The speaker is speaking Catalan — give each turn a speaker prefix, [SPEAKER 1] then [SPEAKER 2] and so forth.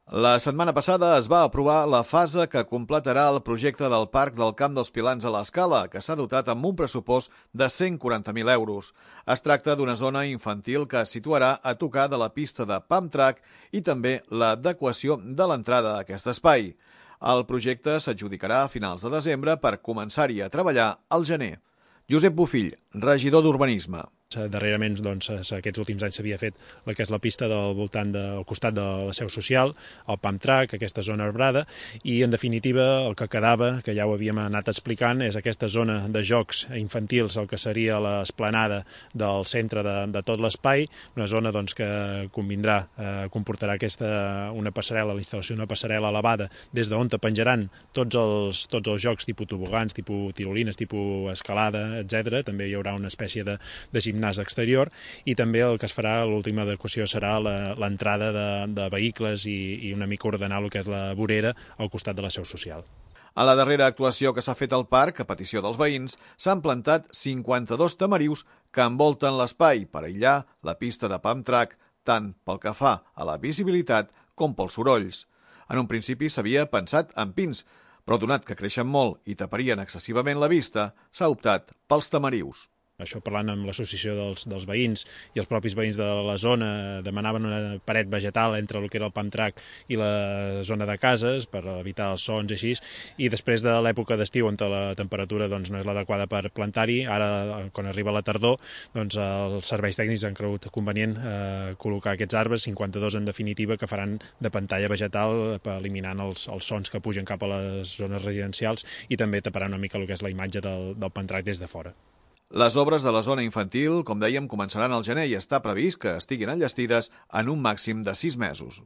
[SPEAKER 1] La setmana passada es va aprovar la fase que completarà el projecte del Parc del Camp dels Pilans a l'Escala, que s'ha dotat amb un pressupost de 140.000 euros. Es tracta d'una zona infantil que es situarà a tocar de la pista de pump track i també l'adequació de l'entrada a aquest espai. El projecte s'adjudicarà a finals de desembre per començar-hi a treballar al gener. Josep Bofill, regidor d'Urbanisme.
[SPEAKER 2] Darrerament, aquests últims anys s'havia fet el que és la pista del costat de la seu social, el pump track, aquesta zona arbrada, i en definitiva el que quedava, que ja ho havíem anat explicant, és aquesta zona de jocs infantils, el que seria l'esplanada del centre de tot l'espai, una zona que comportarà una passarel·la, la instal·lació d'una passarel·la elevada, des d'on te penjaran tots els jocs tipus tobogans, tipus tirolines, tipus escalada, etc. També hi haurà una espècie de gimnàs exterior i també el que es farà, l'última adequació serà l'entrada de vehicles i una mica ordenar el que és la vorera al costat de la seu social.
[SPEAKER 1] A la darrera actuació que s'ha fet al parc, a petició dels veïns, s'han plantat 52 tamarius que envolten l'espai per aïllar la pista de pump track, tant pel que fa a la visibilitat com pels sorolls. En un principi s'havia pensat en pins, però donat que creixen molt i taparien excessivament la vista, s'ha optat pels tamarius.
[SPEAKER 2] Això parlant amb l'associació dels veïns i els propis veïns de la zona demanaven una paret vegetal entre el que era el pump track i la zona de cases per evitar els sons i així, i després de l'època d'estiu on la temperatura no és l'adequada per plantar-hi, ara quan arriba la tardor els serveis tècnics han cregut convenient col·locar aquests arbres, 52 en definitiva, que faran de pantalla vegetal eliminant els sons que pugen cap a les zones residencials i també taparan una mica el que és la imatge del pump track des de fora.
[SPEAKER 1] Les obres de la zona infantil, com dèiem, començaran al gener i està previst que estiguin enllestides en un màxim de 6 mesos.